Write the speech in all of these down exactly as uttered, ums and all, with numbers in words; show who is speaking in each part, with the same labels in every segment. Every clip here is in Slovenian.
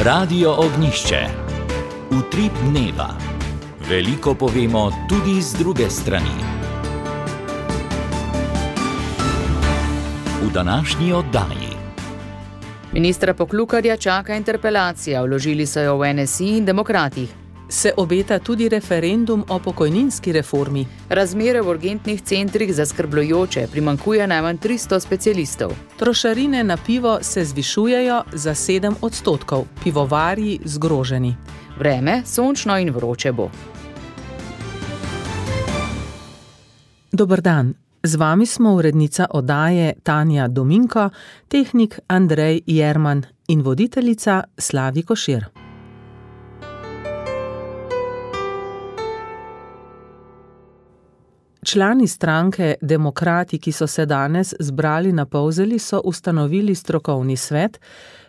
Speaker 1: Radio Ognjišče. Utrip dneva. Veliko povemo tudi z druge strani. V današnji oddaji.
Speaker 2: Ministra Poklukarja čaka interpelacija, vložili so jo v N S I in Demokratih.
Speaker 3: Se obeta tudi referendum o pokojninski reformi.
Speaker 2: Razmere v urgentnih centrih zaskrbljujoče, primanjkuje najmanj tristo specialistov.
Speaker 3: Trošarine na pivo se zvišujejo za sedem odstotkov, pivovarji zgroženi.
Speaker 2: Vreme sončno in vroče bo.
Speaker 3: Dober dan. Z vami smo urednica oddaje Tanja Dominko, tehnik Andrej Jerman in voditeljica Slavi Košir. Člani stranke Demokrati, ki so se danes zbrali na Polzeli, so ustanovili strokovni svet,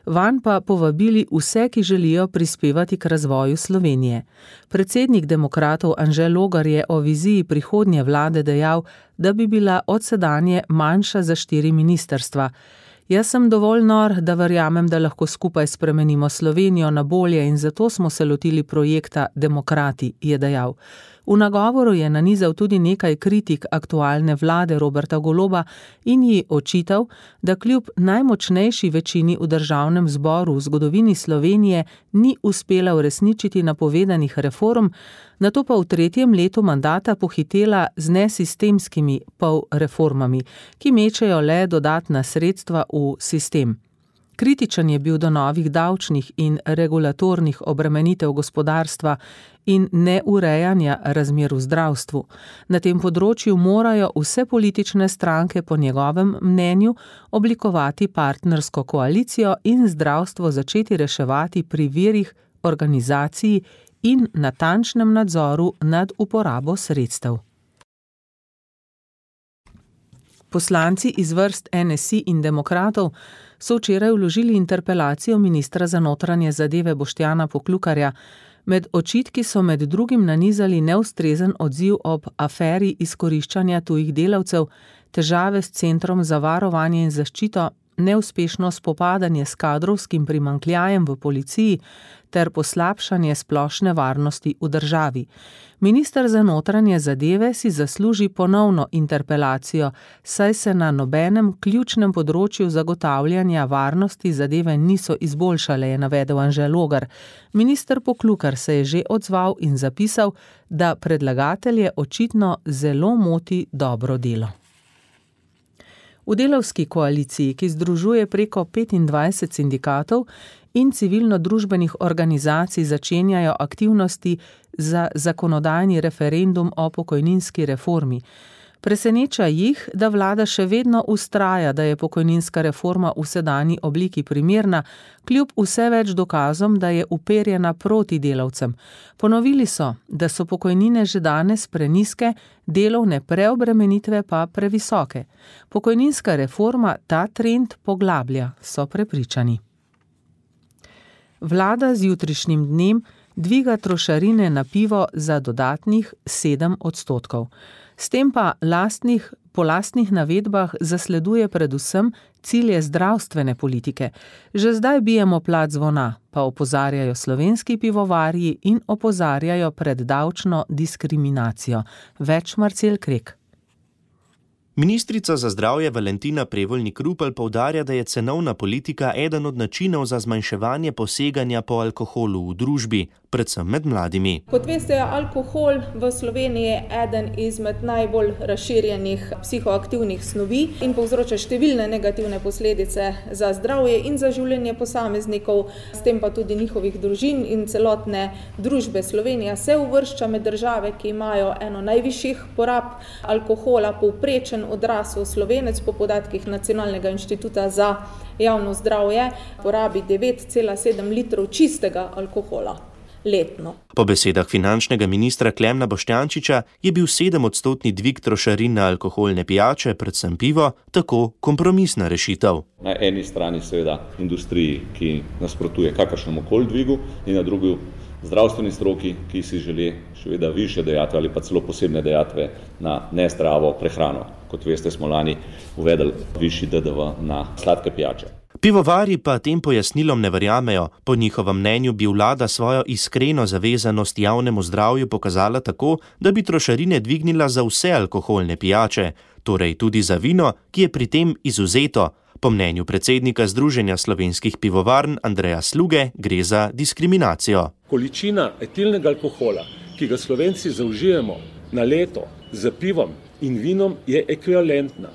Speaker 3: vanj pa povabili vse, ki želijo prispevati k razvoju Slovenije. Predsednik Demokratov Anže Logar je o viziji prihodnje vlade dejal, da bi bila odsedanje manjša za štiri ministrstva. Jaz sem dovolj nor, da verjamem, da lahko skupaj spremenimo Slovenijo na bolje in zato smo se lotili projekta Demokrati, je dejal. V nagovoru je nanizal tudi nekaj kritik aktualne vlade Roberta Goloba in ji očital, da kljub najmočnejši večini v državnem zboru v zgodovini Slovenije ni uspela uresničiti napovedanih reform, nato pa v tretjem letu mandata pohitela z nesistemskimi polreformami, ki mečejo le dodatna sredstva v sistem. Kritičen je bil do novih davčnih in regulatornih obremenitev gospodarstva in neurejanja razmer v zdravstvu. Na tem področju morajo vse politične stranke po njegovem mnenju oblikovati partnersko koalicijo in zdravstvo začeti reševati pri virih, organizaciji in natančnem nadzoru nad uporabo sredstev. Poslanci iz vrst N S I in Demokratov so včeraj vložili interpelacijo ministra za notranje zadeve Boštjana Poklukarja. Med očitki so med drugim nanizali neustrezen odziv ob aferi izkoriščanja tujih delavcev, težave s Centrom za varovanje in zaščito, neuspešno spopadanje s kadrovskim primanjkljajem v policiji ter poslabšanje splošne varnosti v državi. Minister za notranje zadeve si zasluži ponovno interpelacijo, saj se na nobenem ključnem področju zagotavljanja varnosti zadeve niso izboljšale, je navedel Anže Logar. Minister Poklukar se je že odzval in zapisal, da predlagatelje očitno zelo moti dobro delo. V delavski koaliciji, ki združuje preko petindvajset sindikatov in civilno-družbenih organizacij, začenjajo aktivnosti za zakonodajni referendum o pokojninski reformi. Preseneča jih, da vlada še vedno vztraja, da je pokojninska reforma v sedanji obliki primerna, kljub vse več dokazom, da je uperjena proti delavcem. Ponovili so, da so pokojnine že danes prenizke, delovne preobremenitve pa previsoke. Pokojninska reforma ta trend poglablja, so prepričani. Vlada z jutrišnjim dnem dviga trošarine na pivo za dodatnih sedem odstotkov. S tem pa lastnih, po lastnih navedbah zasleduje predvsem cilje zdravstvene politike. Že zdaj bijemo plat zvona, pa opozarjajo slovenski pivovarji in opozarjajo pred davčno diskriminacijo. Več Marcel Krek.
Speaker 4: Ministrica za zdravje Valentina Prevolnik Rupel poudarja, da je cenovna politika eden od načinov za zmanjševanje poseganja po alkoholu v družbi, predvsem med mladimi.
Speaker 5: Kot veste, je alkohol v Sloveniji eden izmed najbolj razširjenih psihoaktivnih snovi in povzroča številne negativne posledice za zdravje in za življenje posameznikov, s tem pa tudi njihovih družin in celotne družbe. Slovenija se uvršča med države, ki imajo eno najvišjih porab alkohola. Povprečen odrasel Slovenec po podatkih Nacionalnega inštituta za javno zdravje porabi devet cela sedem litrov čistega alkohola letno.
Speaker 4: Po besedah finančnega ministra Klemna Boštjančiča je bil sedemodstotni dvig trošarin na alkoholne pijače, predvsem pivo, tako kompromisna rešitev.
Speaker 6: Na eni strani seveda industriji, ki nasprotuje kakršnemu koli dvigu, in na drugi zdravstveni stroki, ki si želi seveda višje dajatve ali pa celo posebne dajatve na nezdravo prehrano. Kot veste, smo lani uvedli višji D D V na sladke pijače.
Speaker 4: Pivovarji pa tem pojasnilom ne verjamejo. Po njihovem mnenju bi vlada svojo iskreno zavezanost javnemu zdravju pokazala tako, da bi trošarine dvignila za vse alkoholne pijače, torej tudi za vino, ki je pri tem izvzeto. Po mnenju predsednika Združenja slovenskih pivovarn Andreja Sluge gre za diskriminacijo.
Speaker 7: Količina etilnega alkohola, ki ga Slovenci zaužijemo na leto z pivom in vinom, je ekvivalentna.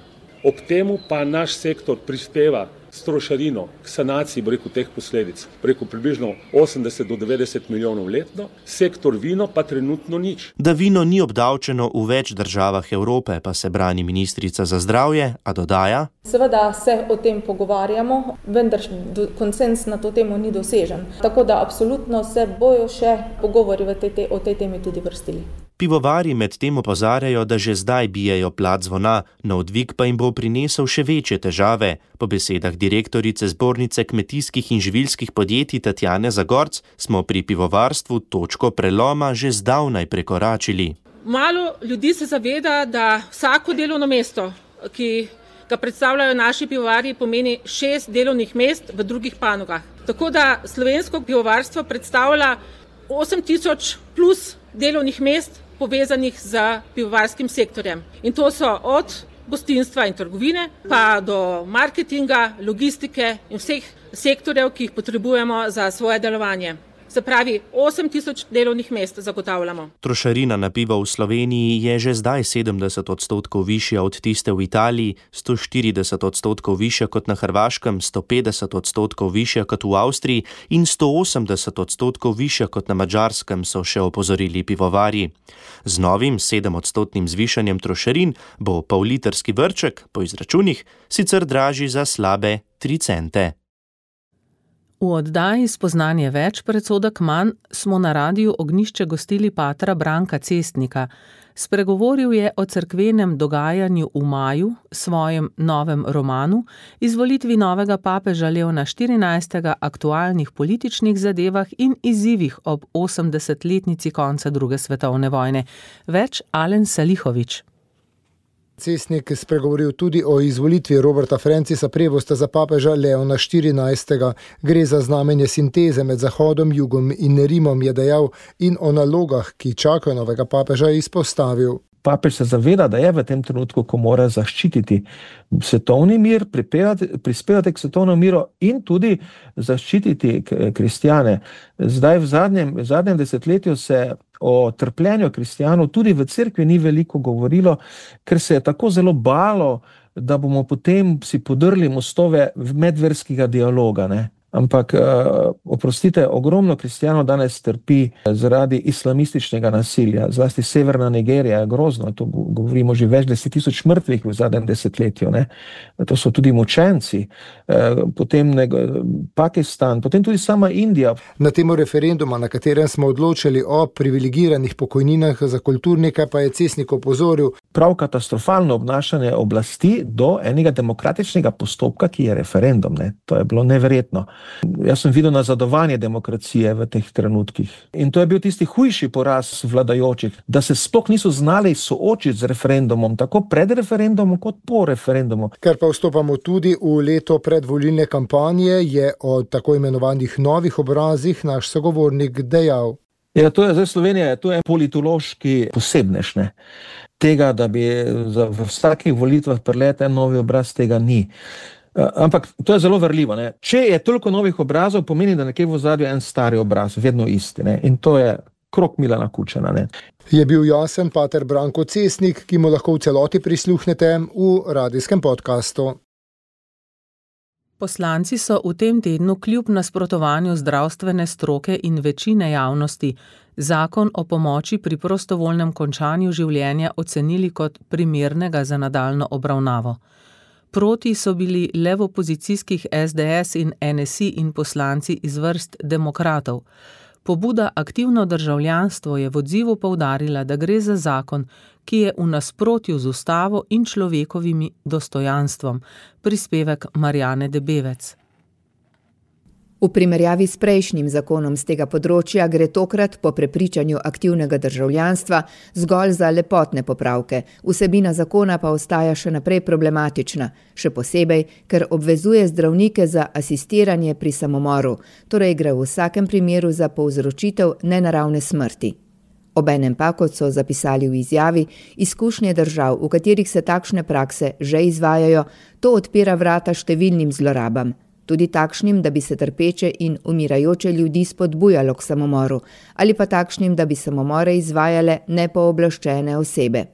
Speaker 7: Ob temu pa naš sektor prispeva s trošarino k sanaciji breku teh posledic, preko približno osemdeset do devetdeset milijonov letno, sektor vino pa trenutno nič.
Speaker 4: Da vino ni obdavčeno v več državah Evrope, pa se brani ministrica za zdravje, a dodaja:
Speaker 5: Seveda se o tem pogovarjamo, vendar konsenz na to temo ni dosežen. Tako da absolutno se bojo še pogovori v tej, o tej temi tudi vrstili.
Speaker 4: Pivovarji med tem opozarjajo, da že zdaj bijejo plat zvona, nov dvig pa jim bo prinesel še večje težave. Po besedah direktorice Zbornice kmetijskih in živilskih podjetij Tatjane Zagorc smo pri pivovarstvu točko preloma že zdavnaj prekoračili.
Speaker 8: Malo ljudi se zaveda, da vsako delovno mesto, ki ga predstavljajo naši pivovarji, pomeni šest delovnih mest v drugih panogah. Tako da slovensko pivovarstvo predstavlja osem tisoč plus delovnih mest povezanih z pivovarskim sektorjem. In to so od gostinstva in trgovine pa do marketinga, logistike in vseh sektorjev, ki jih potrebujemo za svoje delovanje. Se pravi, osem tisoč delovnih mest zagotavljamo.
Speaker 4: Trošarina na pivo v Sloveniji je že zdaj sedemdeset odstotkov višja od tiste v Italiji, sto štirideset odstotkov višja kot na Hrvaškem, sto petdeset odstotkov višja kot v Avstriji in sto osemdeset odstotkov višja kot na Madžarskem, so še opozorili pivovarji. Z novim sedemodstotnim zvišanjem trošarin bo pollitrski vrček po izračunih sicer dražji za slabe tri cente.
Speaker 3: V oddaji Spoznanje več, predsodek manj smo na Radiu Ognjišče gostili patra Branka Cestnika. Spregovoril je o cerkvenem dogajanju v maju, svojem novem romanu, izvolitvi novega papeža Leona štirinajstega, aktualnih političnih zadevah in izzivih ob osemdesetletnici konca druge svetovne vojne. Več Alen Salihović.
Speaker 9: Cestnik je spregovoril tudi o izvolitvi Roberta Francisa Prevosta za papeža Leona štirinajstega. Gre za znamenje sinteze med Zahodom, Jugom in Rimom, je dejal, in o nalogah, ki čakajo novega papeža, izpostavil.
Speaker 10: Papež se zaveda, da je v tem trenutku, ko mora zaščititi svetovni mir, prispevati k svetovnemu miru in tudi zaščititi kristjane. Zdaj v zadnjem, v zadnjem desetletju se o trpljenju kristjanov tudi v cerkvi ni veliko govorilo, ker se je tako zelo balo, da bomo potem si podrli mostove medverskega dialoga, ne. Ampak, oprostite, ogromno kristjanov danes trpi zaradi islamističnega nasilja, zlasti severna Nigerija je grozno, to govorimo že več deset tisoč mrtvih v zadnjem desetletju, ne. To so tudi mučenci, potem Pakistan, potem tudi sama Indija.
Speaker 9: Na temo referenduma, na katerem smo odločili o privilegiranih pokojninah za kulturnike, pa je Cestnik opozoril.
Speaker 10: Prav katastrofalno obnašanje oblasti do enega demokratičnega postopka, ki je referendum, ne. To je bilo neverjetno. Jaz sem videl nazadovanje demokracije v teh trenutkih. In to je bil tisti hujši poraz vladajočih, da se sploh niso znali soočiti z referendumom, tako pred referendumom kot po referendumu.
Speaker 9: Ker pa vstopamo tudi v leto predvolilne kampanje, je o tako imenovanih novih obrazih naš sogovornik dejal.
Speaker 10: Ja, to je zdaj Slovenija, to je politološki posebnež, ne. Tega, da bi v vsakih volitvah prelete novi obraz, tega ni. Ampak to je zelo verljivo, ne. Če je toliko novih obrazov, pomeni, da nekje v ozadju en stari obraz, vedno isti, ne. In to je krog Milana Kučana, ne.
Speaker 9: Je bil jasen pater Branko Cestnik, ki mu lahko v celoti prisluhnete v radijskem podkastu.
Speaker 3: Poslanci so v tem tednu kljub nasprotovanju zdravstvene stroke in večine javnosti zakon o pomoči pri prostovoljnem končanju življenja ocenili kot primernega za nadaljnjo obravnavo. Proti so bili le v opozicijskih es de es in en es i in poslanci iz vrst demokratov. Pobuda Aktivno državljanstvo je v odzivu poudarila, da gre za zakon, ki je v nasprotju z ustavo in človekovimi dostojanstvom. Prispevek Marjane Debevec.
Speaker 11: V primerjavi s prejšnjim zakonom z tega področja gre tokrat po prepričanju aktivnega državljanstva zgolj za lepotne popravke, vsebina zakona pa ostaja še naprej problematična, še posebej, ker obvezuje zdravnike za asistiranje pri samomoru, torej gre v vsakem primeru za povzročitev nenaravne smrti. Obenem pa, kot so zapisali v izjavi, izkušnje držav, v katerih se takšne prakse že izvajajo, to odpira vrata številnim zlorabam. Tudi takšnim, da bi se trpeče in umirajoče ljudi spodbujalo k samomoru, ali pa takšnim, da bi samomore izvajale nepooblaščene osebe.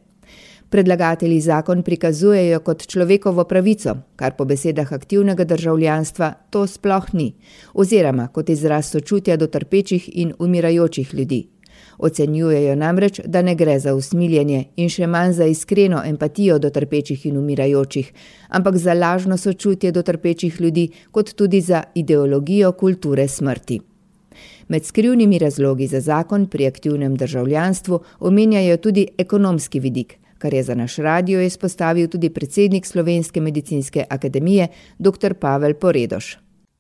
Speaker 11: Predlagatelji zakon prikazujejo kot človekovo pravico, kar po besedah aktivnega državljanstva to sploh ni, oziroma kot izraz sočutja do trpečih in umirajočih ljudi. Ocenjujejo namreč, da ne gre za usmiljenje in še manj za iskreno empatijo do trpečih in umirajočih, ampak za lažno sočutje do trpečih ljudi, kot tudi za ideologijo kulture smrti. Med skrivnimi razlogi za zakon pri aktivnem državljanstvu omenjajo tudi ekonomski vidik, kar je za naš radio izpostavil tudi predsednik Slovenske medicinske akademije, doktor Pavel Poredoš.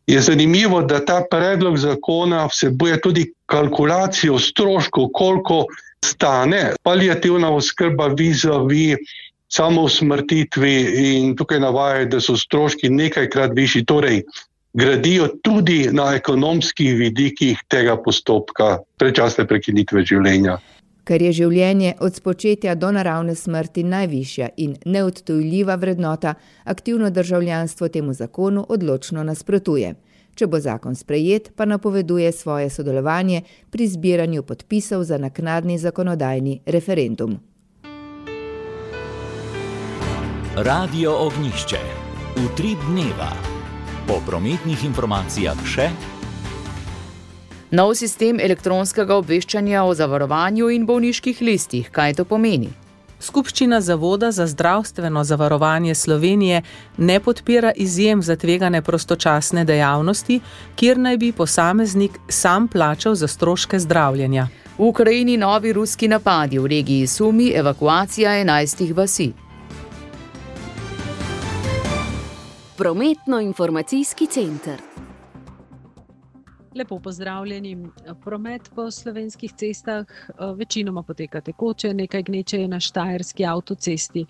Speaker 12: Je zanimivo, da ta predlog zakona vsebuje tudi kalkulacijo stroškov, koliko stane paliativna oskrba vis-a-vis samousmrtitvi in tukaj navajajo, da so stroški nekajkrat višji, torej gradijo tudi na ekonomskih vidikih tega postopka predčasne prekinitve življenja.
Speaker 11: Ker je življenje od spočetja do naravne smrti najvišja in neodtujljiva vrednota, aktivno državljanstvo temu zakonu odločno nasprotuje. Če bo zakon sprejet, pa napoveduje svoje sodelovanje pri zbiranju podpisov za naknadni zakonodajni referendum.
Speaker 1: Radio Ognjišče. Utrip dneva. Po prometnih informacijah še
Speaker 2: nov sistem elektronskega obveščanja o zavarovanju in bolniških listih. Kaj to pomeni?
Speaker 3: Skupščina Zavoda za zdravstveno zavarovanje Slovenije ne podpira izjem za tvegane prostočasne dejavnosti, kjer naj bi posameznik sam plačal za stroške zdravljenja.
Speaker 2: V Ukrajini novi ruski napadi, v regiji Sumi evakuacija enajstih vasi.
Speaker 13: Prometno-informacijski center.
Speaker 14: Lepo pozdravljeni. Promet po slovenskih cestah večinoma poteka tekoče, nekaj gneče je na štajerski avtocesti.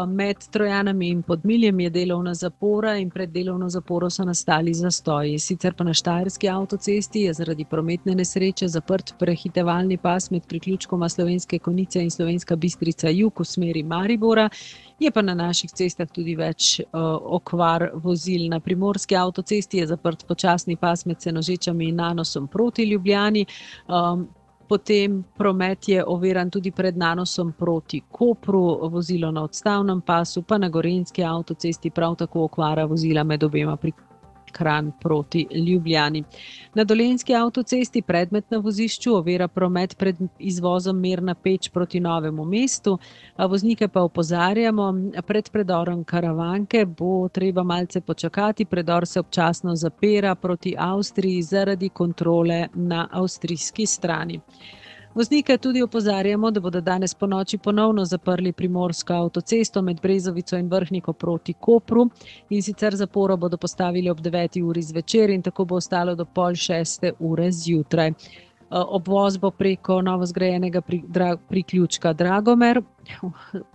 Speaker 14: Med Trojanami in Podmiljem je delovna zapora in pred delovno zaporo so nastali zastoji. Sicer pa na štajerski avtocesti je zaradi prometne nesreče zaprt prehitevalni pas med priključkoma Slovenske Konjice in Slovenska Bistrica jug v smeri Maribora. Je pa na naših cestah tudi več uh, okvar vozil. Na primorski avtocesti je zaprt počasni pas med Senožečami in Nanosom proti Ljubljani. Um, potem promet je oviran tudi pred Nanosom proti Kopru, vozilo na odstavnem pasu, pa na gorenjski avtocesti prav tako okvara vozila med obema priključkoma. Kranj proti Ljubljani. Na dolenjski avtocesti predmet na vozišču ovira promet pred izvozom Mirna Peč proti Novemu mestu. Voznike pa opozarjamo, pred predorom Karavanke bo treba malce počakati, predor se občasno zapira proti Avstriji zaradi kontrole na avstrijski strani. Voznike tudi opozarjamo, da bodo danes po noči ponovno zaprli primorsko avtocesto med Brezovico in Vrhniko proti Kopru in sicer zaporo bodo postavili ob deveti uri zvečer in tako bo ostalo do pol šeste ure zjutraj. Obvoz bo preko novozgrajenega priključka Dragomer,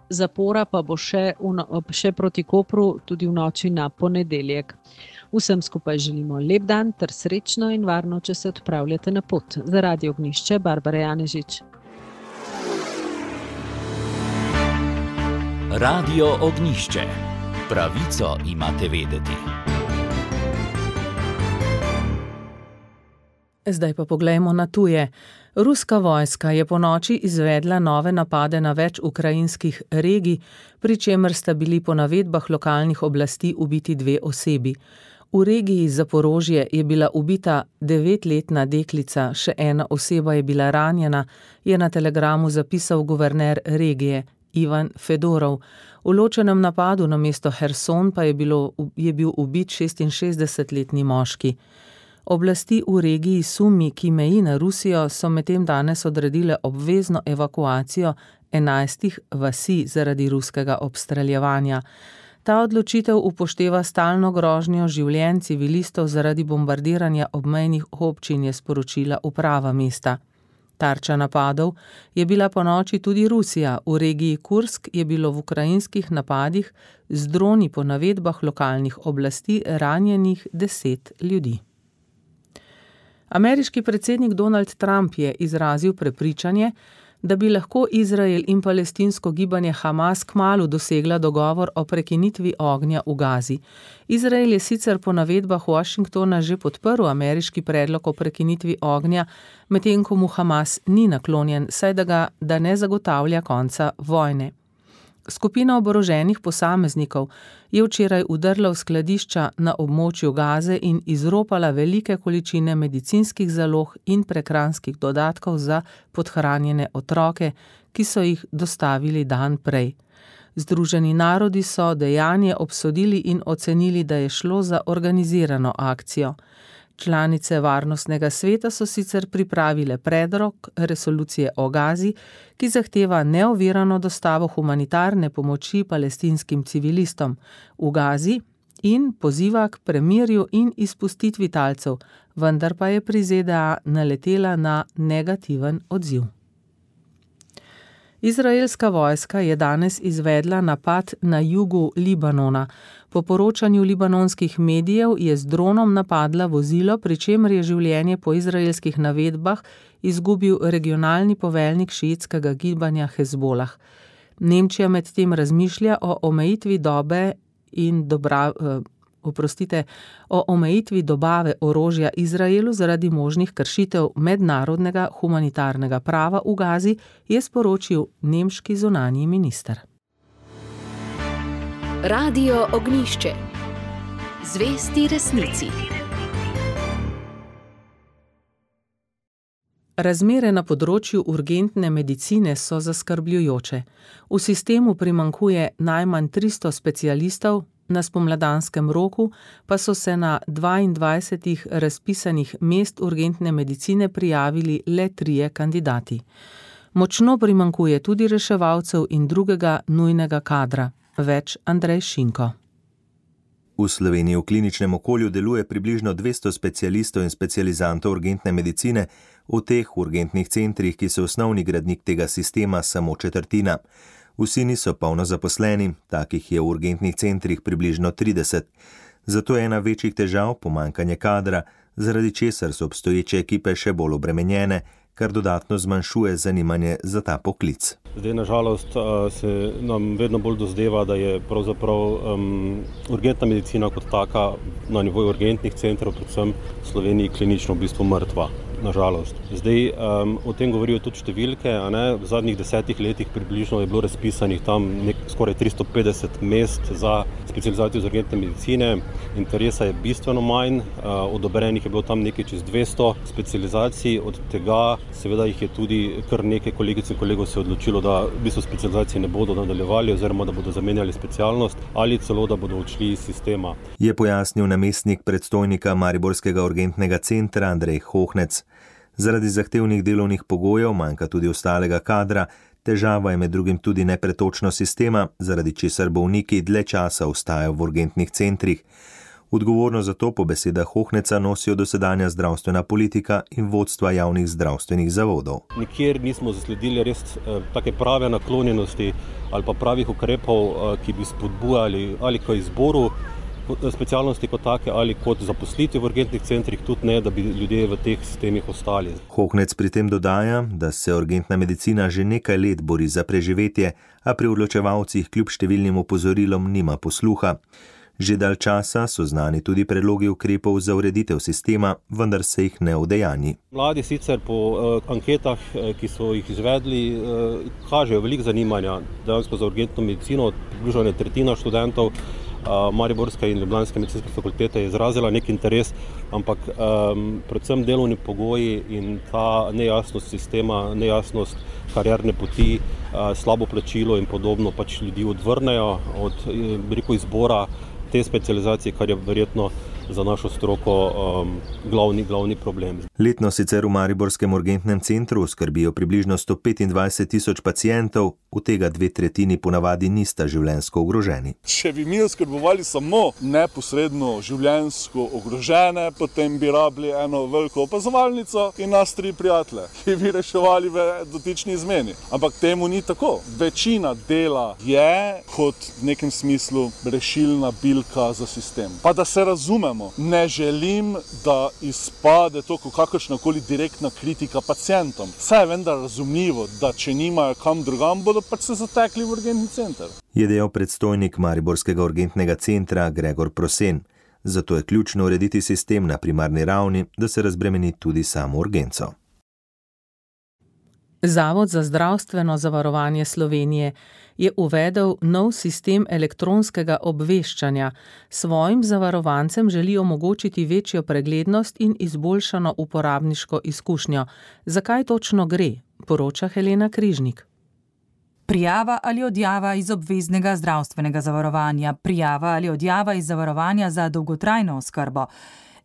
Speaker 14: zapora pa bo še, v, še proti Kopru tudi v noči na ponedeljek. Vsem skupaj želimo lep dan ter srečno in varno, če se odpravljate na pot. Za Radio Ognjišče, Barbara Janežič.
Speaker 1: Radio Ognjišče. Pravico imate vedeti.
Speaker 3: Zdaj pa poglejmo na tuje. Ruska vojska je po noči izvedla nove napade na več ukrajinskih regij, pri čemer sta bili po navedbah lokalnih oblasti ubiti dve osebi. V regiji Zaporožje je bila ubita devetletna deklica, še ena oseba je bila ranjena, je na telegramu zapisal guverner regije Ivan Fedorov. V ločenem napadu na mesto Herson pa je, bilo, je bil ubit šestinšestdesetletni moški. Oblasti v regiji Sumi, ki meji na Rusijo, so medtem danes odredile obvezno evakuacijo enajstih vasi zaradi ruskega obstreljevanja. Ta odločitev upošteva stalno grožnjo življenj civilistov zaradi bombardiranja obmejnih občin, je sporočila uprava mesta. Tarča napadov je bila ponoči tudi Rusija. V regiji Kursk je bilo v ukrajinskih napadih z droni po navedbah lokalnih oblasti ranjenih deset ljudi. Ameriški predsednik Donald Trump je izrazil prepričanje, da bi lahko Izrael in palestinsko gibanje Hamas kmalu dosegla dogovor o prekinitvi ognja v Gazi. Izrael je sicer po navedbah Washingtona že podprl ameriški predlog o prekinitvi ognja, medtem ko mu Hamas ni naklonjen, saj da ga da ne zagotavlja konca vojne. Skupina oboroženih posameznikov je včeraj vdrla v skladišča na območju Gaze in izropala velike količine medicinskih zalog in prehranskih dodatkov za podhranjene otroke, ki so jih dostavili dan prej. Združeni narodi so dejanje obsodili in ocenili, da je šlo za organizirano akcijo. Članice Varnostnega sveta so sicer pripravile predlog resolucije o Gazi, ki zahteva neovirano dostavo humanitarne pomoči palestinskim civilistom v Gazi in poziva k premirju in izpustitvi talcev, vendar pa je pri Z D A naletela na negativen odziv. Izraelska vojska je danes izvedla napad na jugu Libanona. Po poročanju libanonskih medijev je z dronom napadla vozilo, pri čemer je življenje po izraelskih navedbah izgubil regionalni poveljnik šiitskega gibanja Hezbolah. Nemčija medtem razmišlja o omejitvi dobe in dobra, eh, oprostite, o omejitvi dobave orožja Izraelu zaradi možnih kršitev mednarodnega humanitarnega prava v Gazi, je sporočil nemški zunanji minister.
Speaker 13: Radio Ognjišče. Zvesti resnici.
Speaker 3: Razmere na področju urgentne medicine so zaskrbljujoče. V sistemu primanjkuje najmanj tristo specialistov, na spomladanskem roku pa so se na dvaindvajsetih razpisanih mest urgentne medicine prijavili le trije kandidati. Močno primanjkuje tudi reševalcev in drugega nujnega kadra. Več Andrej Šinko.
Speaker 4: V Sloveniji v kliničnem okolju deluje približno dvesto specialistov in specializantov urgentne medicine, v teh urgentnih centrih, ki so osnovni gradnik tega sistema, samo četrtina. Vsi niso polno zaposleni, takih je v urgentnih centrih približno trideset. Zato je ena večjih težav pomanjkanje kadra, zaradi česar so obstoječe ekipe še bolj obremenjene, kar dodatno zmanjšuje zanimanje za ta poklic.
Speaker 15: Zdaj, nažalost, se nam vedno bolj dozdeva, da je pravzaprav um, urgentna medicina kot taka na nivoju urgentnih centrov, predvsem v Sloveniji, klinično v bistvu mrtva. Nažalost. Zdaj, um, o tem govorijo tudi številke, a ne? V zadnjih desetih letih približno je bilo razpisanih tam nek, skoraj tristo petdeset mest za specializacijo z urgentne medicine. Interesa je bistveno manj, uh, odobrenih je bilo tam nekaj čez dvesto specializacij, od tega seveda jih je tudi kar nekaj kolegic in kolegov se odločilo, da v bistvu specializacije ne bodo nadaljevali oziroma da bodo zamenjali specialnost ali celo, da bodo odšli iz sistema.
Speaker 4: Je pojasnil namestnik predstojnika Mariborskega urgentnega centra Andrej Hohnec. Zaradi zahtevnih delovnih pogojev manjka tudi ostalega kadra, težava je med drugim tudi nepretočnost sistema, zaradi česar bolniki dlje časa ostajajo v urgentnih centrih. Odgovornost za to po besedah Hohneca nosijo dosedanja zdravstvena politika in vodstva javnih zdravstvenih zavodov.
Speaker 15: Nikjer nismo zasledili res eh, take prave naklonjenosti ali pa pravih ukrepov, eh, ki bi spodbujali ali k izboru specialnosti kot take ali kot zaposliti v urgentnih centrih, tudi ne, da bi ljudje v teh sistemih ostali.
Speaker 4: Hohnec pri tem dodaja, da se urgentna medicina že nekaj let bori za preživetje, a pri odločevalcih kljub številnim opozorilom nima posluha. Že dalj časa so znani tudi predlogi ukrepov za ureditev sistema, vendar se jih ne udejanji.
Speaker 15: Mladi sicer po uh, anketah, uh, ki so jih izvedli, uh, kažejo veliko zanimanja dejansko za urgentno medicino, približno tretjina študentov uh, Mariborske in Ljubljanske medicinske fakultete je izrazila nek interes, ampak um, predvsem delovni pogoji in ta nejasnost sistema, nejasnost karierne poti, uh, slabo plačilo in podobno pač ljudi odvrnejo od rekel, izbora te specializacije, kar je verjetno za našo stroko um, glavni, glavni problem.
Speaker 4: Letno sicer v mariborskem urgentnem centru skrbijo približno sto petindvajset tisoč pacientov, od tega dve tretjini ponavadi nista življenjsko ogroženi.
Speaker 16: Če bi mi oskrbovali samo neposredno življenjsko ogrožene, potem bi rabili eno veliko opazovalnico in nas tri prijatelje, ki bi reševali v dotični izmeni. Ampak temu ni tako. Večina dela je kot v nekem smislu rešilna bilka za sistem. Pa da se razumemo, ne želim, da izpade to kot kakršnakoli direktna kritika pacientom. Vse je vendar razumljivo, da če nimajo kam drugam, bodo pač se zatekli v urgentni center.
Speaker 4: Je dejal predstojnik mariborskega urgentnega centra Gregor Prosen. Zato je ključno urediti sistem na primarni ravni, da se razbremeni tudi samo urgenco.
Speaker 3: Zavod za zdravstveno zavarovanje Slovenije je uvedel nov sistem elektronskega obveščanja. Svojim zavarovancem želi omogočiti večjo preglednost in izboljšano uporabniško izkušnjo. Zakaj točno gre, poroča Helena Križnik.
Speaker 17: Prijava ali odjava iz obveznega zdravstvenega zavarovanja, prijava ali odjava iz zavarovanja za dolgotrajno oskrbo,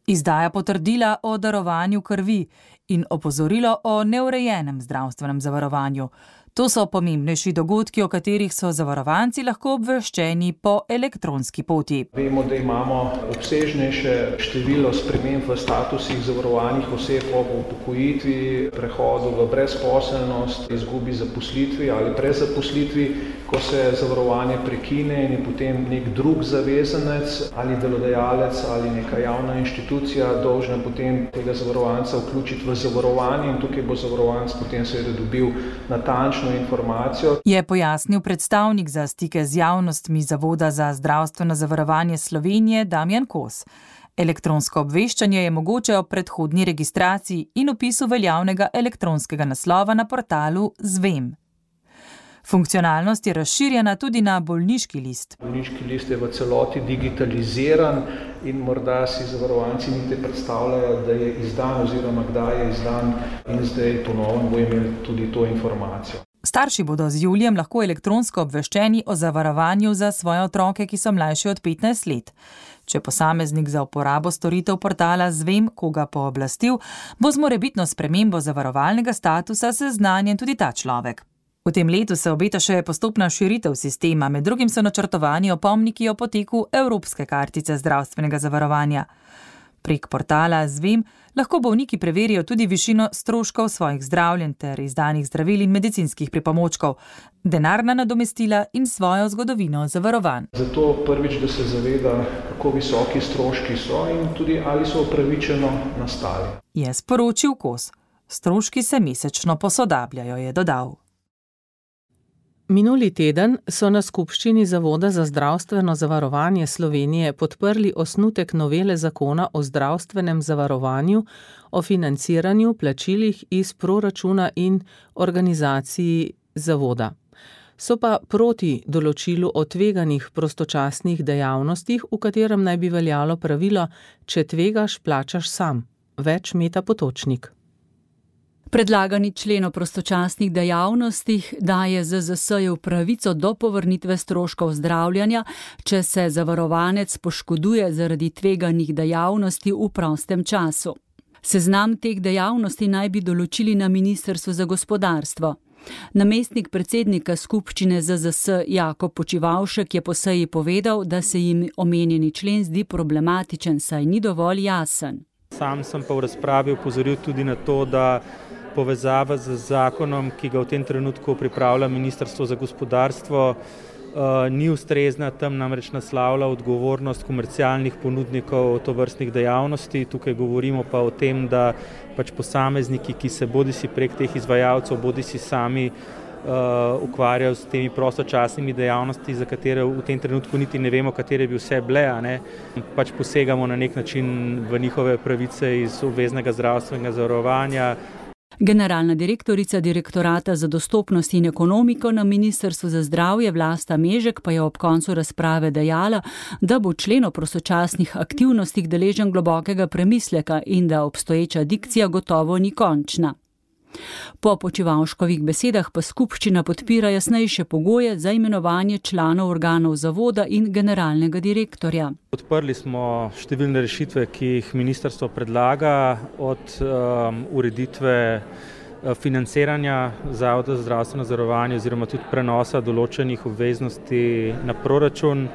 Speaker 17: izdaja potrdila o darovanju krvi in opozorilo o neurejenem zdravstvenem zavarovanju. To so pomembnejši dogodki, o katerih so zavarovanci lahko obveščeni po elektronski poti.
Speaker 18: Vemo, da imamo obsežnejše število sprememb v statusih zavarovanih oseb ob upokojitvi, prehodu v brezposelnost, izgubi zaposlitvi ali prezaposlitvi, ko se zavarovanje prekine in je potem nek drug zavezanec ali delodajalec ali neka javna inštitucija dolžna potem tega zavarovanca vključiti v zavarovanje in tukaj bo zavarovanc potem seveda dobil natančno informacijo.
Speaker 17: Je pojasnil predstavnik za stike z javnostmi Zavoda za zdravstveno zavarovanje Slovenije Damjan Kos. Elektronsko obveščanje je mogoče ob predhodni registraciji in vpisu veljavnega elektronskega naslova na portalu Zvem. Funkcionalnost je razširjena tudi na bolniški list.
Speaker 18: Bolniški list je v celoti digitaliziran in morda si zavarovanci niti predstavljajo, da je izdan oziroma kdaj je izdan in zdaj ponovno bo imeli tudi to informacijo.
Speaker 17: Starši bodo z julijem lahko elektronsko obveščeni o zavarovanju za svoje otroke, ki so mlajši od petnajst let. Če posameznik za uporabo storitev portala Zvem koga pooblastil, bo z morebitno spremembo zavarovalnega statusa seznanjen tudi ta človek. V tem letu se obeta še postopna širitev sistema, med drugim so načrtovani opomniki o poteku Evropske kartice zdravstvenega zavarovanja. Prek portala Zvem lahko bolniki preverijo tudi višino stroškov svojih zdravljenj ter izdanih zdravil in medicinskih pripomočkov, denarna nadomestila in svojo zgodovino zavarovanj.
Speaker 18: Zato prvič, da se zaveda, kako visoki stroški so in tudi ali so upravičeno nastali.
Speaker 17: Je sporočil Kos. Stroški se mesečno posodabljajo, je dodal.
Speaker 3: Minuli teden so na skupščini Zavoda za zdravstveno zavarovanje Slovenije podprli osnutek novele zakona o zdravstvenem zavarovanju, o financiranju, plačilih iz proračuna in organizaciji zavoda. So pa proti določilu o tveganih prostočasnih dejavnostih, v katerem naj bi veljalo pravilo, če tvegaš, plačaš sam. Več Meta Potočnik.
Speaker 19: Predlagani člen o prostočasnih dejavnostih daje Z Z S-ju pravico do povrnitve stroškov zdravljenja, če se zavarovanec poškoduje zaradi tveganih dejavnosti v prostem času. Seznam teh dejavnosti naj bi določili na Ministrstvu za gospodarstvo. Namestnik predsednika skupščine Z Z S Jakob Počivavšek je po seji povedal, da se jim omenjeni člen zdi problematičen, saj ni dovolj jasen.
Speaker 20: Sam sem pa v razpravi opozoril tudi na to, da povezava z zakonom, ki ga v tem trenutku pripravlja Ministrstvo za gospodarstvo, ni ustrezna, tam namreč naslavlja odgovornost komercialnih ponudnikov tovrstnih dejavnosti. Tukaj govorimo pa o tem, da pač posamezniki, ki se bodisi prek teh izvajalcev, bodisi sami uh, ukvarjajo s temi prostočasnimi dejavnosti, za katere v tem trenutku niti ne vemo, katere bi vse bile, a ne, pač posegamo na nek način v njihove pravice iz obveznega zdravstvenega zavarovanja.
Speaker 19: Generalna direktorica Direktorata za dostopnost in ekonomiko na Ministrstvu za zdravje Vlasta Mežek pa je ob koncu razprave dejala, da bo člen o prostočasnih aktivnostih deležen globokega premisleka in da obstoječa dikcija gotovo ni končna. Po Počivalškovih besedah pa skupščina podpira jasnejše pogoje za imenovanje članov organov zavoda in generalnega direktorja.
Speaker 20: Podprli smo številne rešitve, ki jih ministrstvo predlaga, od um, ureditve financiranja Zavoda za zdravstveno zavarovanje oziroma tudi prenosa določenih obveznosti na proračun.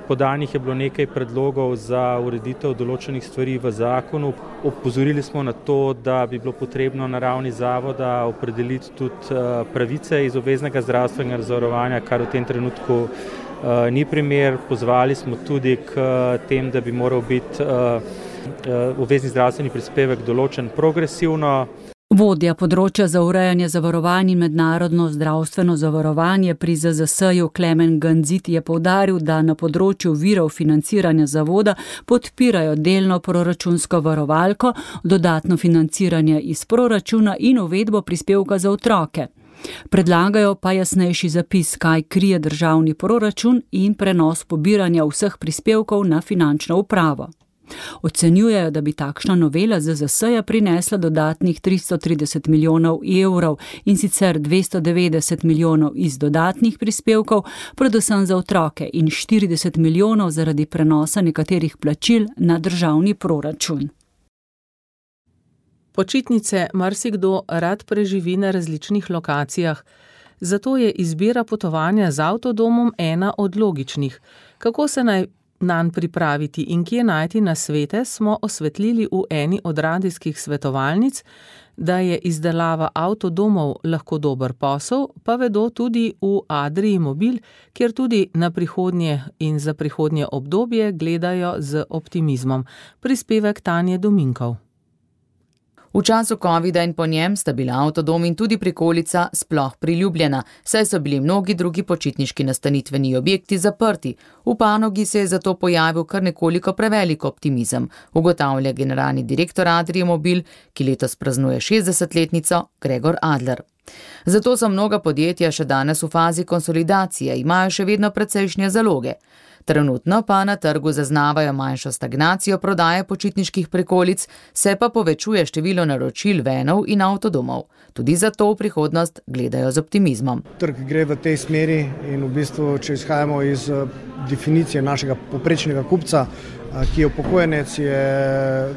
Speaker 20: Podanih je bilo nekaj predlogov za ureditev določenih stvari v zakonu. Opozorili smo na to, da bi bilo potrebno na ravni zavoda opredeliti tudi pravice iz obveznega zdravstvenega zavarovanja, kar v tem trenutku ni primer. Pozvali smo tudi k tem, da bi moral biti obvezni zdravstveni prispevek določen progresivno.
Speaker 19: Vodja področja za urejanje zavarovanj in mednarodno zdravstveno zavarovanje pri Z Z S-ju Klemen Ganzit je poudaril, da na področju virov financiranja zavoda podpirajo delno proračunsko varovalko, dodatno financiranje iz proračuna in uvedbo prispevka za otroke. Predlagajo pa jasnejši zapis, kaj krije državni proračun in prenos pobiranja vseh prispevkov na finančno upravo. Ocenjujejo, da bi takšna novela Z Z S-ja prinesla dodatnih tristo trideset milijonov evrov in sicer dvesto devetdeset milijonov iz dodatnih prispevkov, predvsem za otroke, in štirideset milijonov zaradi prenosa nekaterih plačil na državni proračun.
Speaker 3: Počitnice marsikdo rad preživi na različnih lokacijah, zato je izbira potovanja z avtodomom ena od logičnih. Kako se naj nanj pripraviti in kje najti nasvete, smo osvetlili v eni od radijskih svetovalnic. Da je izdelava avtodomov lahko dober posel, pa vedo tudi v Adrii Mobil, kjer tudi na prihodnje in za prihodnje obdobje gledajo z optimizmom. Prispevek Tanje Dominkov.
Speaker 2: V času covida in po njem sta bila avtodom in tudi prikolica sploh priljubljena, saj so bili mnogi drugi počitniški nastanitveni objekti zaprti. V panogi se je zato pojavil kar nekoliko prevelik optimizem, ugotavlja generalni direktor Adrie Mobil, ki letos praznuje šestdesetletnico, Gregor Adler. Zato so mnoga podjetja še danes v fazi konsolidacije, imajo še vedno precejšnje zaloge. Trenutno pa na trgu zaznavajo manjšo stagnacijo prodaje počitniških prikolic, se pa povečuje število naročil venov in avtodomov. Tudi zato v prihodnost gledajo z optimizmom.
Speaker 21: Trg gre v tej smeri in v bistvu, če izhajamo iz definicije našega povprečnega kupca, ki je upokojenec, je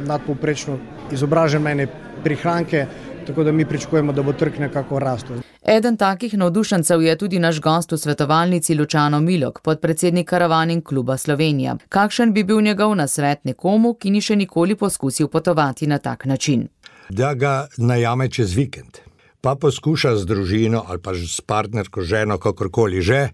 Speaker 21: nadpovprečno izobražen, mene prihranke, tako da mi pričakujemo, da bo trg nekako rastel.
Speaker 2: Eden takih navdušencev je tudi naš gost v svetovalnici Lučano Milok, podpredsednik Karavaning kluba Slovenija. Kakšen bi bil njegov nasvet nekomu, ki ni še nikoli poskusil potovati na tak način?
Speaker 22: Da ga najame čez vikend, pa poskuša z družino ali pa s partnerko, ženo, kakorkoli že,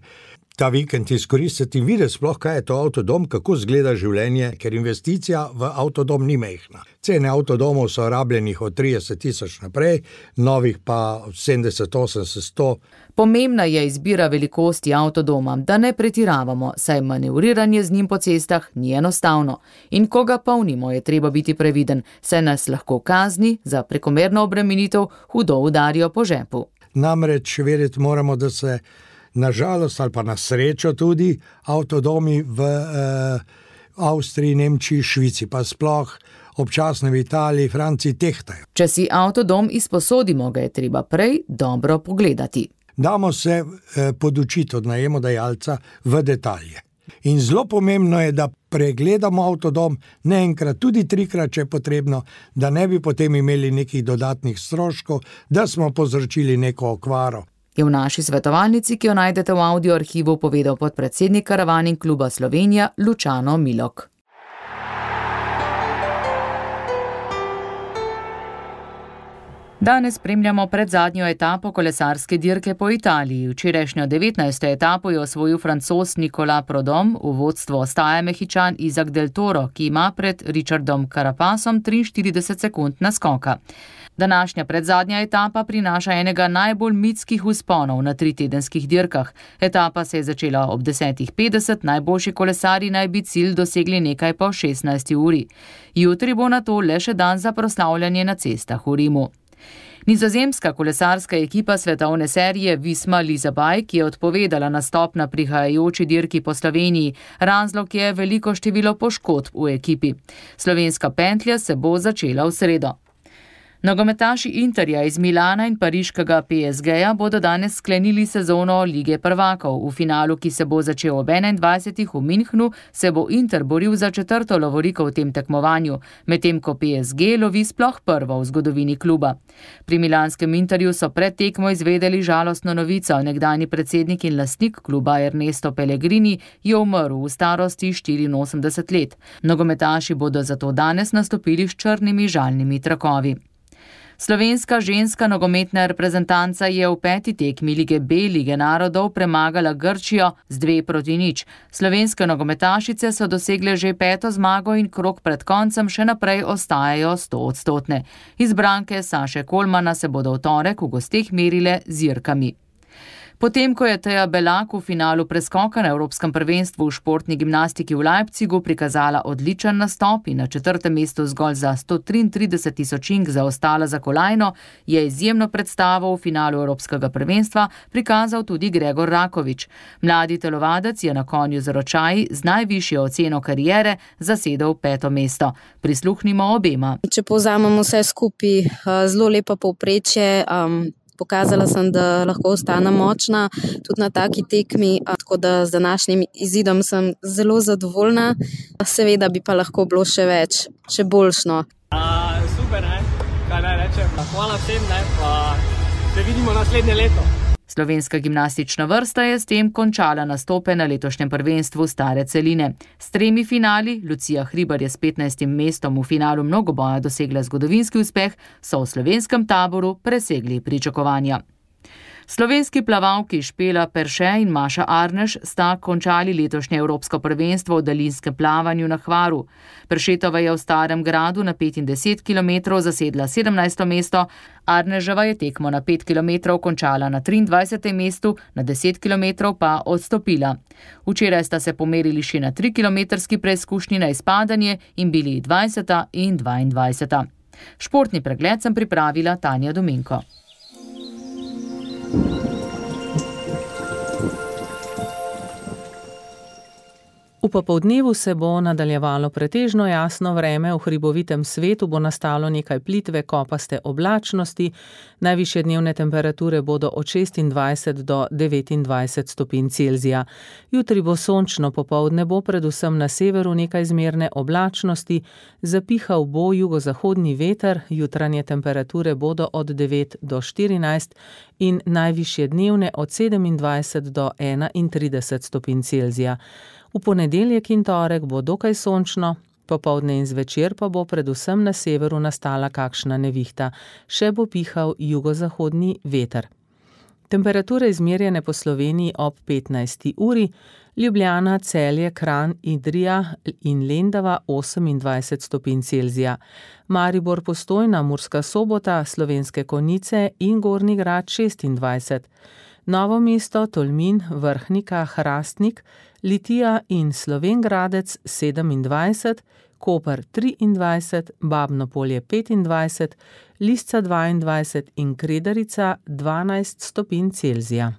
Speaker 22: ta vikend izkoristiti in videti sploh, kaj je to avtodom, kako izgleda življenje, ker investicija v avtodom ni mehna. Cene avtodomov so rabljenih od trideset tisoč naprej, novih pa sedemdeset, osemdeset, sto.
Speaker 2: Pomembna je izbira velikosti avtodoma, da ne pretiravamo, saj manevriranje z njim po cestah ni enostavno. In ko ga polnimo, je treba biti previden, saj nas lahko kazni za prekomerno obremenitev hudo udarijo po žepu.
Speaker 22: Namreč vedeti moramo, da se na žalost ali pa na srečo tudi avtodomi v eh, Avstriji, Nemčiji, Švici, pa sploh občasno v Italiji, Franciji tehtajo.
Speaker 2: Če si avtodom izposodimo, ga je treba prej dobro pogledati.
Speaker 22: Damo se eh, podučiti od najemodajalca v detalje. In zelo pomembno je, da pregledamo avtodom ne enkrat, tudi trikrat, če je potrebno, da ne bi potem imeli nekih dodatnih stroškov, da smo povzročili neko okvaro.
Speaker 2: Je v naši svetovalnici, ki jo najdete v audio arhivu, povedal podpredsednik Karavaning kluba Slovenija Lučano Milok. Danes spremljamo predzadnjo etapo kolesarske dirke po Italiji. Včerajšnjo devetnajsto etapo je osvojil Francoz Nicolas Prudhomme, v vodstvu ostaja Mehičan Isaac Del Toro, ki ima pred Richardom Carapasom triinštirideset sekund naskoka. Današnja predzadnja etapa prinaša enega najbolj mitskih vzponov na tritedenskih dirkah. Etapa se je začela ob desetih petdeset, najboljši kolesarji naj bi cilj dosegli nekaj po šestnajsti uri. Jutri bo nato le še dan za proslavljanje na cestah v Rimu. Nizozemska kolesarska ekipa svetovne serije Visma Leasebike, ki je odpovedala nastop na prihajajoči dirki po Sloveniji. Razlog je veliko število poškodb v ekipi. Slovenska pentlja se bo začela v sredo. Nogometaši Interja iz Milana in pariškega P S G-ja bodo danes sklenili sezono Lige prvakov. V finalu, ki se bo začel ob enaindvajsetih v Münchnu, se bo Inter boril za četrto lovoriko v tem tekmovanju, medtem ko P S G lovi sploh prvo v zgodovini kluba. Pri milanskem Interju so pred tekmo izvedeli žalostno novico. Nekdanji predsednik in lastnik kluba Ernesto Pellegrini je umrl v starosti štiriinosemdeset let. Nogometaši bodo zato danes nastopili s črnimi žalnimi trakovi. Slovenska ženska nogometna reprezentanca je v peti tekmi Lige B Lige narodov premagala Grčijo z dve proti nič. Slovenske nogometašice so dosegle že peto zmago in krog pred koncem še naprej ostajajo stoodstotne. Izbranke Saše Kolmana se bodo v torek v gosteh merile z Irkami. Potem, ko je Teja Belak v finalu preskoka na Evropskem prvenstvu v športni gimnastiki v Leipzigu prikazala odličen nastop in na četrtem mestu zgolj za sto triintrideset tisočink zaostala za kolajno, je izjemno predstavo v finalu Evropskega prvenstva prikazal tudi Gregor Rakovič. Mladi telovadec je na konju z ročaji z najvišjo oceno kariere zasedel peto mesto. Prisluhnimo obema.
Speaker 6: Če povzamemo vse skupaj, zelo lepa povprečje. Um... Pokazala sem, da lahko ostanem močna tudi na taki tekmi, tako da z današnjim izidom sem zelo zadovoljna. Seveda bi pa lahko bilo še več, še boljšno.
Speaker 7: A, super, ne? Kaj naj rečem? Hvala vsem, ne? Pa se vidimo naslednje leto.
Speaker 2: Slovenska gimnastična vrsta je s tem končala nastope na letošnjem prvenstvu stare celine. S tremi finali, Lucija Hribar je s petnajstim mestom v finalu mnogoboja dosegla zgodovinski uspeh, so v slovenskem taboru presegli pričakovanja. Slovenski plavalki Špela Perše in Maša Arneš sta končali letošnje Evropsko prvenstvo v daljinskem plavanju na Hvaru. Peršetova je v Starem gradu na pet in deset kilometrov zasedla sedemnajsto mesto, Arneževa je tekmo na pet kilometrov končala na triindvajsetem mestu, na deset kilometrov pa odstopila. Včeraj sta se pomerili še na trikilometrski preizkušnji na izpadanje in bili dvajseta in dvaindvajseta. Športni pregled sem pripravila Tanja Dominko.
Speaker 3: V popoldnevu se bo nadaljevalo pretežno jasno vreme, v hribovitem svetu bo nastalo nekaj plitve kopaste oblačnosti, najvišje dnevne temperature bodo od šestindvajset do devetindvajset stopinj Celzija. Jutri bo sončno, popoldne bo predvsem na severu nekaj zmerne oblačnosti, zapihal bo jugozahodni veter, jutranje temperature bodo od devet do štirinajst in najvišje dnevne od sedemindvajset do enaintrideset stopinj Celzija. V ponedeljek in torek bo dokaj sončno, popoldne in zvečer pa bo predvsem na severu nastala kakšna nevihta, še bo pihal jugozahodni veter. Temperature izmerjene po Sloveniji ob petnajsti uri, Ljubljana, Celje, Kranj, Idrija in Lendava osemindvajset stopinj Celzija, Maribor, Postojna, Murska Sobota, Slovenske Konjice in Gornji Grad šestindvajset, Novo mesto, Tolmin, Vrhnika, Hrastnik, Litija in Slovenj Gradec sedemindvajset, Koper triindvajset, Babno Polje petindvajset, Lisca dvaindvajset in Kredarica dvanajst stopinj Celzija.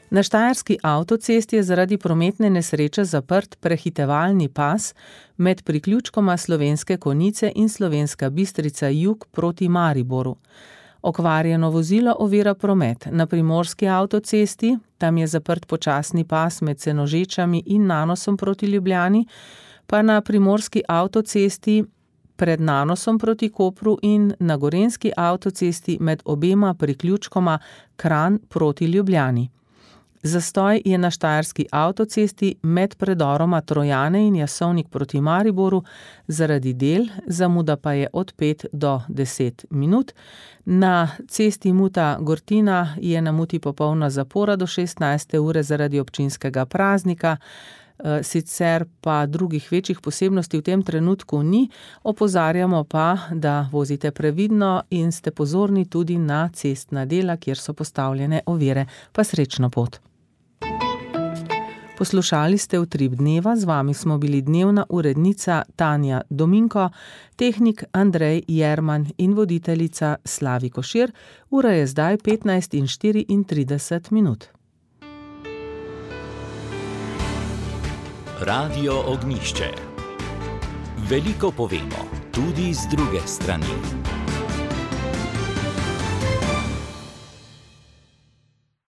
Speaker 3: Na štajerski avtocesti je zaradi prometne nesreče zaprt prehitevalni pas med priključkoma Slovenske Konjice in Slovenska Bistrica jug proti Mariboru. Okvarjeno vozilo ovira promet. Na primorski avtocesti, tam je zaprt počasni pas med Senožečami in Nanosom proti Ljubljani, pa na primorski avtocesti pred Nanosom proti Kopru in na gorenjski avtocesti med obema priključkoma Kranj proti Ljubljani. Zastoj je na štajerski avtocesti med predoroma Trojane in Jasovnik proti Mariboru zaradi del, zamuda pa je od pet do deset minut. Na cesti Muta-Gortina je na Muti popolna zapora do šestnajste ure zaradi občinskega praznika, sicer pa drugih večjih posebnosti v tem trenutku ni, opozarjamo pa, da vozite previdno in ste pozorni tudi na cestna dela, kjer so postavljene ovire, pa srečno pot. Poslušali ste Utrip dneva, z vami smo bili dnevna urednica Tanja Dominko, tehnik Andrej Jerman in voditeljica Slavi Košir. Ura je zdaj petnajst in štiriintrideset minut.
Speaker 1: Radio Ognjišče. Veliko povemo. tudi z druge strani.